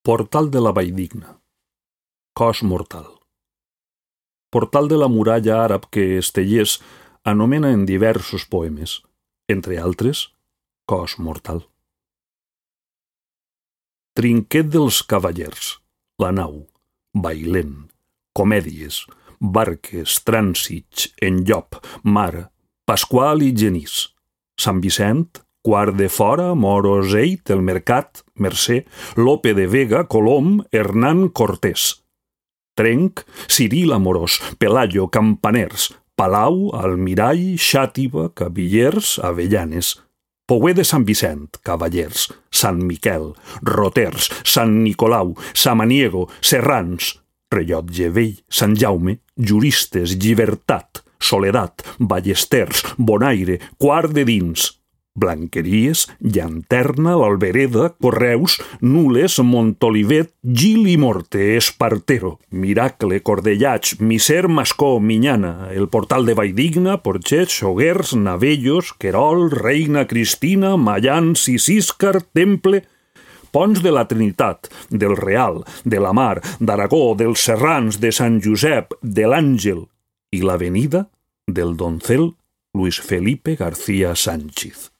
Portal de la Valldigna. Cos mortal. Portal de la muralla àrab que Estellés anomena en diversos poemes, entre altres, Cos mortal. Trinquet dels cavallers, la nau, bailent, comèdies, barques, trànsits, enllop, mar, Pasqual i Genís, Sant Vicent, Quart de Fora, Moroseit, el Mercat, Mercè, Lope de Vega, Colom, Hernán Cortés. Trenc, Ciril Amorós, Pelayo, Campaners, Palau, Almirall, Xàtiva, Cabillers, Avellanes. Pouer de Sant Vicent, Cavallers, Sant Miquel, Roters, Sant Nicolau, Samaniego, Serrans, Rellotge Vell, Sant Jaume, Juristes, Llibertat, Soledat, Ballesters, Bonaire, Quart de Dins, Blanqueries, Llanterna, l'Albereda, Correus, Nules, Montolivet, Gil i Morte, Espartero, Miracle, Cordellats, Miser, Mascó, Minyana, el Portal de Valldigna, Porxets, Xoguers, Navellos, Querol, Reina Cristina, Mayans i Síscar, Temple, Ponts de la Trinitat, del Real, de la Mar, d'Aragó, dels Serrans, de Sant Josep, de l'Àngel i l'avenida del Doncel Luis Felipe García Sánchez.